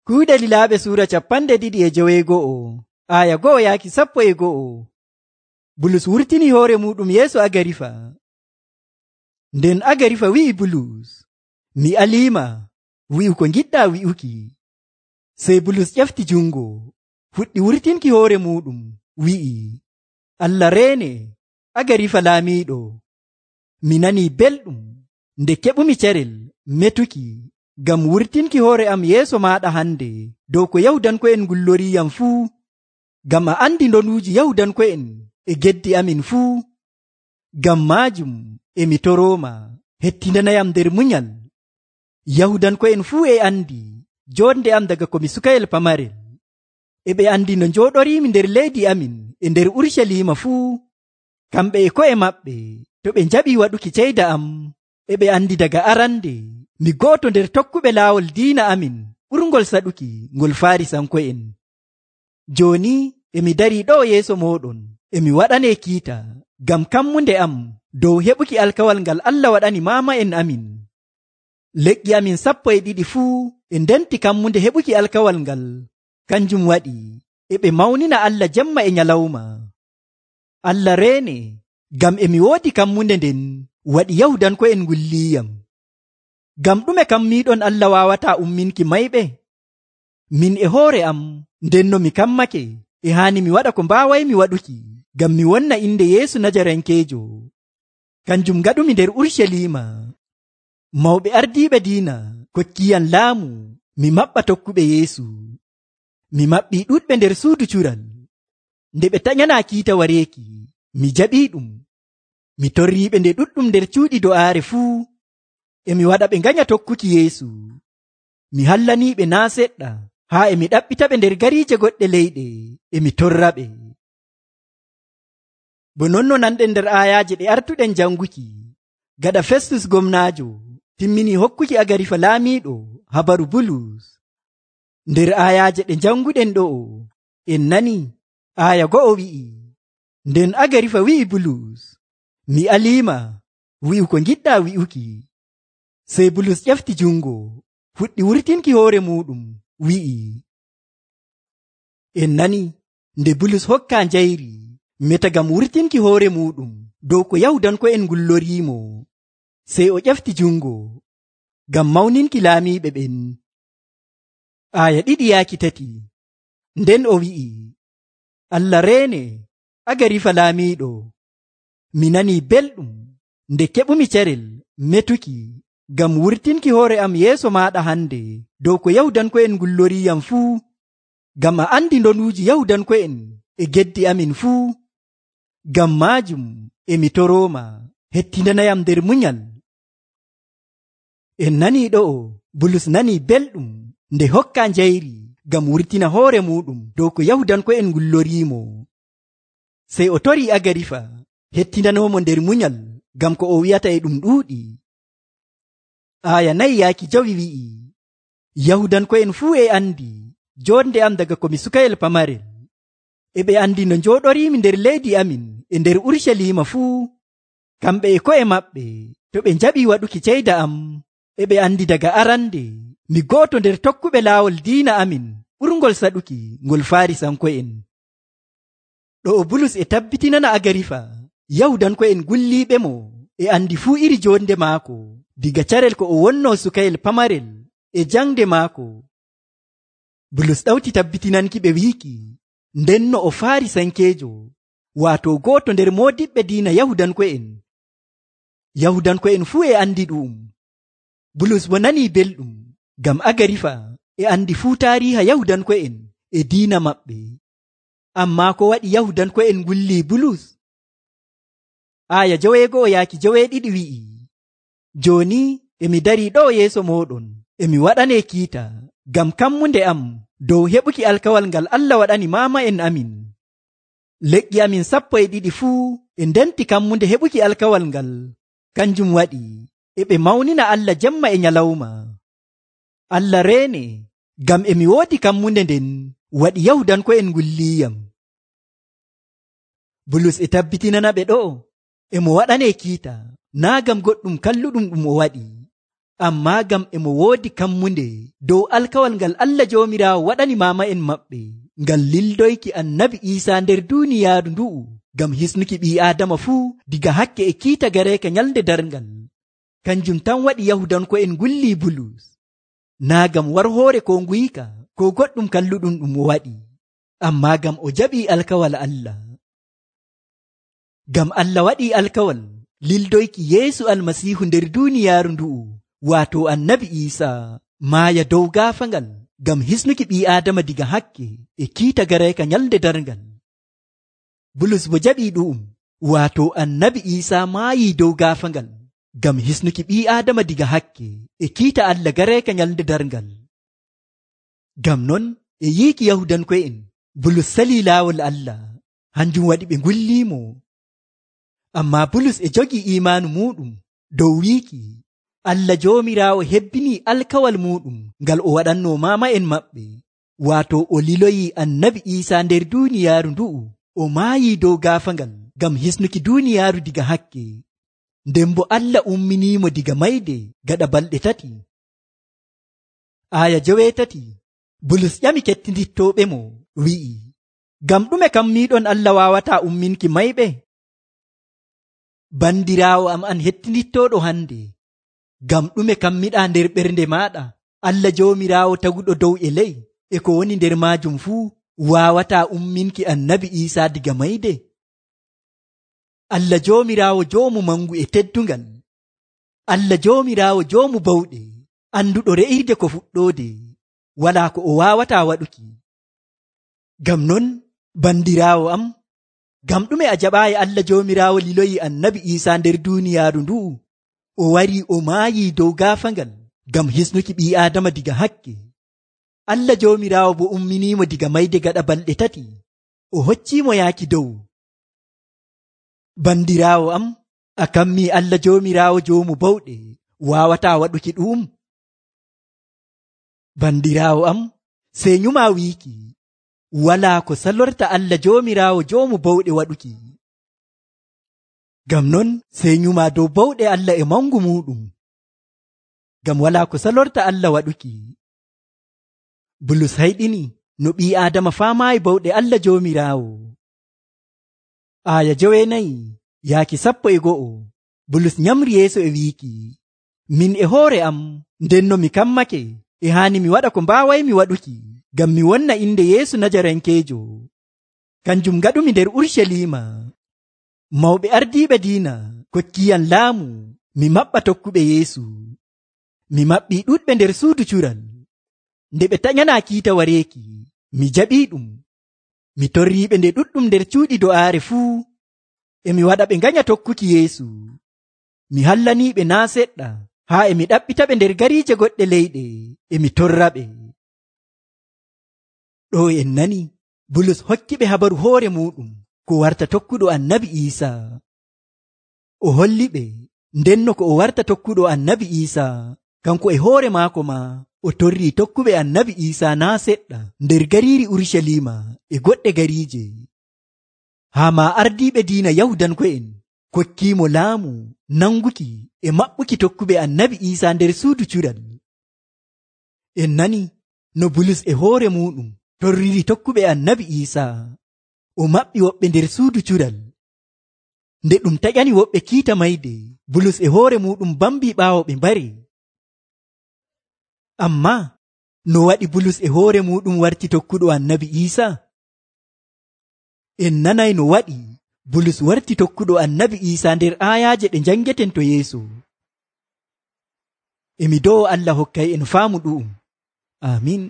Kuuɗe Lilaaɓe Suura 2:1 aya 1 yaaki 11. Bulus wurtini hoore muɗum yeeso Agarifa. Nden Agarifa wi'i Bulus, mi aliima wi'u ko ngiɗɗa wi'uki. Sey Bulus ƴefti jungo fuɗɗi wurtinki hoore muɗum wi'i, Allah reene Agarifa laamiiɗo, mi nanii belɗum nde keɓumi carel metuki ngam wurtinki hoore am yeeso maaɗa hande dow ko Yahudanko'en ngulloriyam fuu, ngam a andi ndonuuji Yahudanko'en e geddi amin fuu. Ngam maajum emi torooma hettindanayam nder munyal. Yahudanko'en fuu e andi jonde am daga komi sukayel pamarel. E ɓe andi no njooɗoriimi nder leydi amin e nder Urucaliima fuu. Kamɓe e ko'e maɓɓe to ɓe njaɓii waɗuki ceyda am, e ɓe andi daga arande mi go'oto nder tokkuɓe laawol diina amin ɓurngol saɗuki ngol Faarisanko'en. Jooni emi darii ɗo yeeso mooɗon emi waɗanee kiita ngam kammunde am dow heɓuki alkawal ngal Allah waɗani maama'en amin. Leƴƴi amin 12 fuu e ndenti kammunde heɓuki alkawal ngal. Kanjum waɗi e ɓe mawnina Allah jemma e nyalawma. Allah reene ngam emi woodi kammunde nden waɗi Yahudanko'en ngulliyam. Ngam ɗume kam miiɗon Allah waawataa umminki mayɓe? Min e hoore am ndenno mi kammake e haani mi waɗa ko mbaawaymi waɗuki ngam mi wonna inde Yeesu Najarankeejo. Kanjum ngaɗumi nder Urucaliima. Mawɓe ardiiɓe diina kokkiyam laamu mi maɓɓa tokkuɓe Yeesu. Mi maɓɓii ɗuɗɓe nder suudu cural. Nde ɓe taƴanaa kiita wareeki, mi jaɓiiɗum. Mi torriiɓe nde ɗuɗɗum nder cuuɗi do'aare fuu. Emi waɗa ɓe nganya tokkuki Yeesu. Mi hallaniiɓe naa seɗɗa haa emi ɗaɓɓitaɓe nder gariije goɗɗe leyɗe emi torraɓe. Bo nonno nanɗen nder aayaaje ɗe artuɗen janguki, gaɗa Festus gomnaajo timmini hokkuki Agarifa laamiiɗo habaru Bulus. Nder aayaaje ɗe janguɗen ɗo'o en nani aaya 1 wi'i, nden Agarifa wi'i Bulus, mi aliima wi'u ko ngiɗɗa wi'uki. Sey Bulus ƴefti jungo fuɗɗi wurtinki hoore muɗum wi'i. En nani nde Bulus hokkaa njayri meta ngam wurtinki hoore muɗum dow ko Yahudanko'en ngulloriimo. Sey o ƴefti jungo ngam mawninki laamiiɓe ɓen. Aaya 2-3 nden o wi'i, Allah reene Agarifa laamiiɗo, mi nanii belɗum nde keɓumi carel metuki ngam wurtinki hoore am yeeso maaɗa hande dow ko Yahudanko'en ngulloriyam fuu, ngam a andi ndonuuji Yahudanko'en e geddi amin fuu. Ngam maajum emi torooma hettindanayam nder munyal. En nanii ɗo'o Bulus nanii belɗum nde hokkaa njayri ngam wurtina hoore muɗum dow ko Yahudanko'en ngulloriimo. Sey o torii Agarifa hettindanoomo nder munyal ngam ko o wi'ata e ɗum ɗuuɗi. Aaya 4 wi'i, Yahudanko'en fuu e andi jonde am daga komi sukayel pamarel. E ɓe andi no njooɗoriimi nder leydi amin e nder Urucaliima fuu. Kamɓe e ko'e maɓɓe to ɓe njaɓii waɗuki ceyda am, e ɓe andi daga arande mi go'oto nder tokkuɓe laawol diina amin ɓurngol saɗuki ngol Faarisanko'en. Ɗo'o Bulus e tabbitinana Agarifa Yahudanko'en gulliiɓe mo e andi fuu iri jonde maako diga carel ko o wonnoo sukayel pamarel e jangde maako. Bulus ɗawti tabbitinanki ɓe wiiki ndenno o Faarisankeejo, waato gooto nder moodiɓɓe diina Yahudanko'en. Yahudanko'en fuu e andi ɗum. Bulus bo nanii belɗum ngam Agarifa e andi fuu taariiha Yahudanko'en e diina maɓɓe. Ammaa ko waɗi Yahudanko'en ngullii Bulus? Aaya 1-2 wi'i, jooni emi darii ɗo yeeso mooɗon emi waɗanee kiita ngam kammunde am dow heɓuki alkawal ngal Allah waɗani maama'en amin. Leƴƴi amin 12 fuu e ndenti kammunde heɓuki alkawal ngal. Kanjum waɗi e ɓe mawnina Allah jemma e nyalawma. Allah reene ngam emi woodi kammunde nden waɗi Yahudanko'en ngulliyam. Bulus e tabbitinana ɓe ɗo'o emo waɗanee kiita naa ngam goɗɗum kalluɗum ɗum o waɗi, ammaa ngam e mo woodi kammunde dow alkawal ngal Allah Joomiraawo waɗani maama'en maɓɓe ngal lildoyki annabi Iisaa nder duuniyaaru ndu'u ngam hisnuki ɓii Aadama fuu diga hakke e kiita gareeka nyalnde darngal. Kanjum tan waɗi Yahudanko'en ngullii Bulus, naa ngam warhoore ko nguyika ko goɗɗum kalluɗum ɗum o waɗi, ammaa ngam o jaɓii alkawal Allah. Ngam Allah waɗii alkawal lildoyki Yeesu Almasiihu nder duuniyaaru ndu'u, waato annabi Iisaa maaya dow gaafangal ngam hisnuki ɓii Aadama diga hakke e kiita gareeka nyalnde darngal. Bulus bo jaɓii ɗu'um, waato annabi Iisaa maayii dow gaafangal ngam hisnuki ɓii Aadama diga hakke e kiita Allah gareeka nyalnde darngal. Ngam non e yiiki Yahudanko'en Bulus salii laawol Allah, hanjum waɗi ɓe ngulliimo. Ammaa Bulus e jogii iimaanu muuɗum dow wiiki Allah Joomiraawo hebbinii alkawal muuɗum ngal o waɗannoo maama'en maɓɓe, waato o liloyii annabi Iisaa nder duuniyaaru ndu'u, o maayii dow gaafangal ngam hisnuki duuniyaaru diga hakke, nden bo Allah umminiimo diga mayde gaɗa balɗe 3. Aya 9 Bulus ƴami kettinittooɓemo wi'i, ngam ɗume kammiiɗon Allah waawataa umminki mayɓe? Bandiraawo am an hettinittooɗo hande, ngam ɗume kammiɗaa nder ɓernde maaɗa Allah Joomiraawo taguɗo dow e ley e ko woni nder maajum fuu waawataa umminki annabi Iisaa diga mayde? Allah Joomiraawo joomu mangu e teddungal, Allah Joomiraawo joomu bawɗe, anduɗo re'irde ko fuɗɗoode, walaa ko o waawataa waɗuki. Ngam non bandiraawo am, ngam ɗume a jaɓaayi Allah Joomiraawo liloyi annabi Iisaa nder duuniyaaru ndu'u, o warii o maayii dow gaafangal ngam hisnuki ɓii Aadama diga hakke. Allah Joomiraawo bo umminiimo diga mayde gaɗa balɗe 3, o hocciimo yaaki dow. Bandiraawo am, a kammii Allah Joomiraawo joomu bawɗe waawataa waɗuki ɗum? Bandiraawo am, sey nyumaa wiiki walaa ko salorta Allah Joomiraawo joomu bawɗe waɗuki. Ngam non sey nyumaa dow bawɗe Allah e mangu muuɗum, ngam walaa ko salorta Allah waɗuki. Bulus hayɗini no ɓii Aadama faamaayi bawɗe Allah Joomiraawo. Aya 9 yaaki 11 Bulus nyamri yeeso e wiiki, min e hoore am ndenno mi kammake e haani mi waɗa ko mbaawaymi waɗuki ngam mi wonna inde Yeesu Najarankeejo. Kanjum ngaɗumi nder Urshalima. Mawɓe ardiiɓe diina kokkiyam laamu mi maɓɓa tokkuɓe Yeesu. Mi maɓɓii ɗuɗɓe nder suudu cural. Nde ɓe taƴanaa kiita wareeki, mi jaɓii ɗum. Mi torriiɓe nde ɗuɗɗum nder cuuɗi do'aare fuu, e mi waɗa ɓe nganya tokkuki Yeesu. Mi hallaniiɓe naa seɗɗa, haa e mi ɗaɓɓitaɓe nder gariije goɗɗe leyɗe, e mi torraɓe. Ɗo en nani Bulus hokkiɓe habaru hoore muɗum ko warta tokkuɗo annabi Iisaa. O holli ɓe ndenno ko o warta tokkuɗo annabi Iisaa, kanko e hoore maako ma o torrii tokkuɓe annabi Iisaa naa seɗɗa nder gariiri Urshalima e goɗɗe gariije. Haa ma ardiiɓe diina Yahudanko'en kokkiimo laamu nanguki e maɓɓuki tokkuɓe annabi Iisaa nder suudu cural. En nani no Bulus e hoore muɗum torriri tokkuɓe annabi Iisaa, o maɓɓi woɓɓe nder suudu cural. Nde ɗum taƴani woɓɓe kiita mayde, Bulus e hoore muɗum bambii ɓaawo ɓe mbari. Ammaa no waɗi Bulus e hoore muɗum warti tokkuɗo annabi Iisaa? En nanay no waɗi Bulus warti tokkuɗo annabi Iisaa nder aayaaje ɗe njangeten to yeeso. Emi dow Allah hokkay en faamu ɗu'um. Amin.